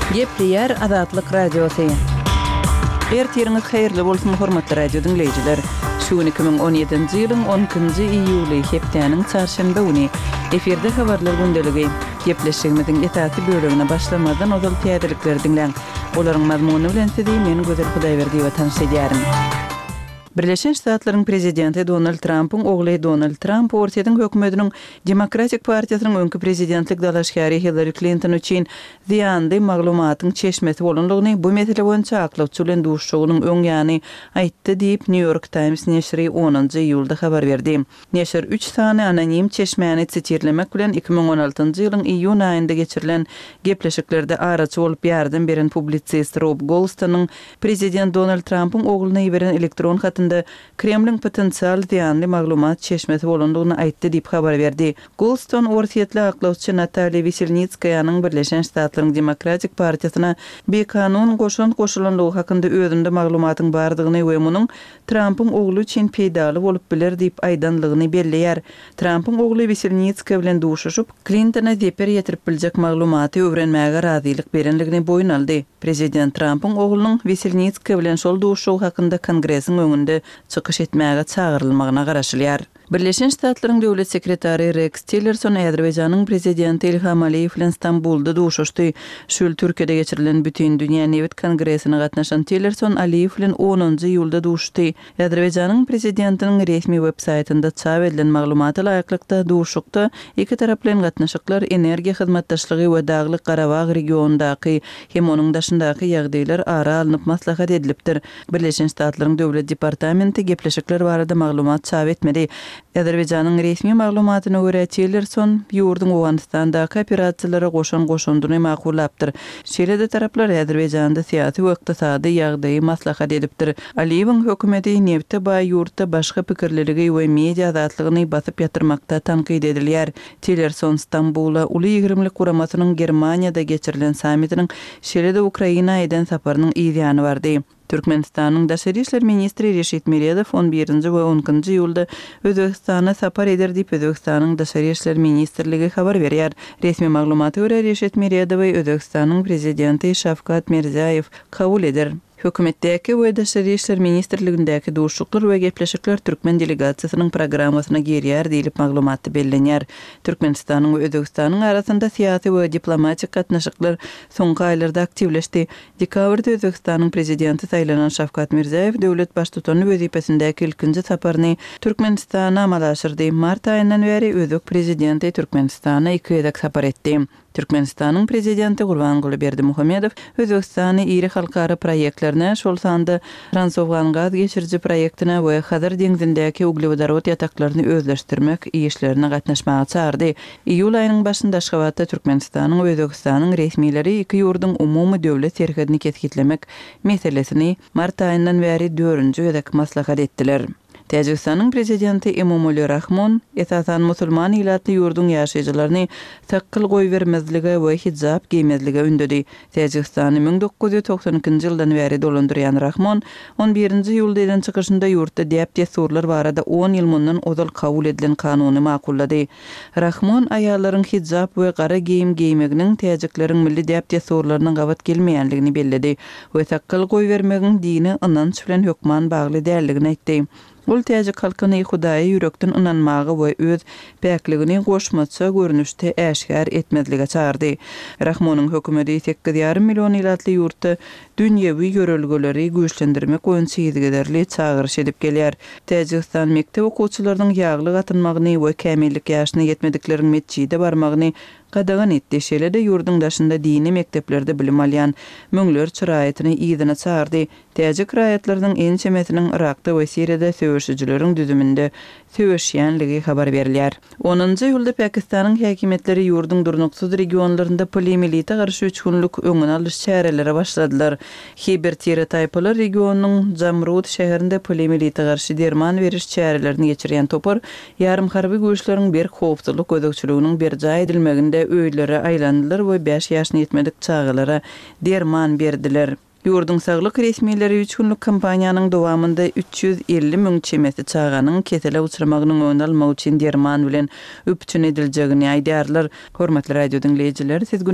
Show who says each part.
Speaker 1: Gepleýär Azatlyk Radiosy. Ertiriňiz haýyrly bolsun, hormatly radio diňleýjiler! Şu gün 2017-nji ýylyň 12-nji iýuly, hepdäniň çarşenbe güni. Efirde Habarlar gündeligi. Gepleşigimiziň esasy bölegine başlamazdan ozal täzelikleri diňläň. Olaryň mazmuny bilen sizi men Gözel Hudaýberdiýewa tanyş edýärin. Birleşen Ştatlaryň prezidenti Donald Trampyň ogly Donald Tramp Orsýetiň hökümetiniň Demokratik partiýasynyň öňki prezidentlik dalaşgäri Hillari Klinton üçin zyýanly maglumatyň çeşmesi bolandygyny bu mesele boýunça aklawçy bilen duşuşygynyň öň ýany aýtdy diýip, New York Times neşiri onunjy iýulda habar berdi. Neşir üç sany anonim çeşmäni sitirlemek bilen, 2016-njy ýylyň iýun aýynda geçirilen gepleşiklerde araçy bolup ýardam beren publisist Rob Golstonyň prezident Donald Trampyň ogluna iberen elektron hatynda Kremliň potensial zyýanly maglumat çeşmesi bolandygyny aýtdy diýip habar berdi. Goldston orsýetli aklawçy Natalýa Weselnitskaýanyň Birleşen Ştatlaryň Demokratik partiýasyna bikanun goşant goşulandygy hakynda özünde maglumatyň bardygyny we munuň Trampyň ogly üçin peýdaly bolup biler diýip aýdanlygyny belleýär. Trampyň ogly Weselnitskaýa bilen duşuşyp, Klintona zeper ýetirip biljek maglumaty öwrenmäge razylyk berenligini boýun aldy. Prezident Trampyň oglunyň Weselnitskaýa bilen şol duşuşygy hakynda Kongresiň öňünde çykyş etmäge çagyrylmagyna garaşylýar. Birleşen Ştatlaryň Döwlet sekretary Reks Tillerson Azerbaýjanyň Prezidenti Ilham Aliýew bilen Stambulda duşuşdy. Şu ýyl Türkiýede geçirilen Bütindünýä nebit kongresine gatnaşan Tillerson Aliýew bilen onunjy iýulda duşuşdy. Azerbaýjanyň Prezidentiniň resmi web-saýtynda çap edilen maglumata laýyklykda, duşuşykda ikitaraplaýyn gatnaşyklar, energiýa hyzmatdaşlygy we Daglyk-Garabag regionyndaky hem onuň daşyndaky ýagdaýlar ara alnyp maslahat edilipdir. Birleşen Ştatlaryň Döwlet departamenti gepleşikler barada maglumat çap etmedi. Azerbaýjanyň resmi maglumatyna görä, Tillerson ýurduň Owganystandaky operasiýalara goşan goşandyny makullapdyr. Şeýle-de taraplar Azerbaýjanda syýasy we ykdysady ýagdaýy maslahat edipdir. Aliýewiň hökümeti nebte baý ýurtda başga pikirliligi we media azatlygyny basyp ýatyrmakda tankyt edilýär. Tillerson Stambula Uly ýigrimlik guramasynyň Germaniýada geçirilen sammitiniň, şeýle-de Ukraina eden saparynyň yz ýany bardy. Türkmenistanyň daşary işler ministri Reşit Meredow on birinji we on ikinji iýulda Özbegistana sapar eder diýip, Özbegistanyň Daşary işler ministrligi habar berýär. Resmi maglumata görä, Reşit Meredowy Özbegistanyň Prezidenti Şawkat Mirziýaýew kabul eder. Hökümetdäki we Daşary işler ministrligindäki duşuşyklar we gepleşikler türkmen delegasiýasynyň programmasyna girýär diýlip maglumatda bellenýär. Türkmenistanyň we Özbegistanyň arasynda syýasy we diplomatik gatnaşyklar soňky aýlarda aktiwleşdi. Dekabrda Özbegistanyň Prezidenti saýlanan Şawkat Mirziýoýew döwlet Baştutany wezipesindäki ilkinji saparyny Türkmenistana amala aşyrdy. Mart aýyndan bäri özbek Prezidenti Türkmenistana iki gezek sapar etdi. Türkmenistanyň Prezidenti Gurbanguly Berdimuhamedow Özbegistany iri halkara proýektlerine, şol sanda Transowgan gaz geçiriji proýektine we Hazar deňzindäki uglewodorod ýataklaryny özleşdirmek işlerine gatnaşmaga çagyrdy. Iýul aýynyň başynda Aşgabatda Türkmenistanyň we Özbegistanyň resmileri iki ýurduň umumy döwlet serhedini kesgitlemek meselesini mart aýyndan bäri dördünji gezek maslahat etdiler. Täjigistanyň prezidenti Emomali Rahmon, esasan, musulman ilatly ýurduň ýaşaýjylaryny sakgal goýbermezlige we hijap geýmezlige ündedi. Täjigistany 1992-nji ýyldan bäri dolandyrýan Rahmon on birinji iýulda eden çykyşynda ýurtda däp-dessurlar barada on ýyl mundan ozal kabul edilen kanuny makullady. Rahmon aýallaryň hijap we gara geýim geýmeginiň täjikleriň milli däp-dessurlaryna gabat gelmeýändigini belledi we sakgal goýbermegiň dini ynanç bilen hökman bagly däldigini aýtdy. Ol täjik halkyny Hudaýa ýürekden ynanmaga we öz päkligini goşmaça görnüşde äşgär etmezlige çagyrdy. Rahmonyň hökümeti sekiz ýarym million ilatly ýurtda dünýewi ýörelgeleri güýçlendirmek boýunça yzygiderli çagyryş edip gelýär. Täjigistan mekdep okuwçylarynyň ýaglyk atynmagyny we kämillik ýaşyna ýetmedikleriň metjide barmagyny gadagan etdi, şeýle-de ýurduň daşynda dini mekdeplerde bilim alýan müňlerçe raýatyny yzyna çagyrdy. Täjik raýatlarynyň ençemesiniň Yrakda we Siriýada söweşijileriň düzüminde söweşýänligi habar berilýär. Onunjy iýulda Pakistanyň häkimiýetleri ýurduň durnuksyz regionlarynda poliomielite garşy üç günlük öňüni alyş çärelere başladylar. Hiber tire-taýpalar regionynyň Jamrud şäherinde poliomielite garşy derman beriş çärelerini geçirýän topar ýarym harby güýçleriň berk howpsuzlyk gözegçiliginiň berjaý edilmeginde öýlere aýlandylar we bäş ýaşyna ýetmedik çagalara derman berdiler. Ýurduň saglyk resmileri üç günlük kampaniýanyň dowamynda 350 müň çemesi çaganyň kesele uçramagynyň öňüni almak üçin derman bilen üpjün ediljegini aýdýarlar. Hormatly radio diňleýjiler, siz.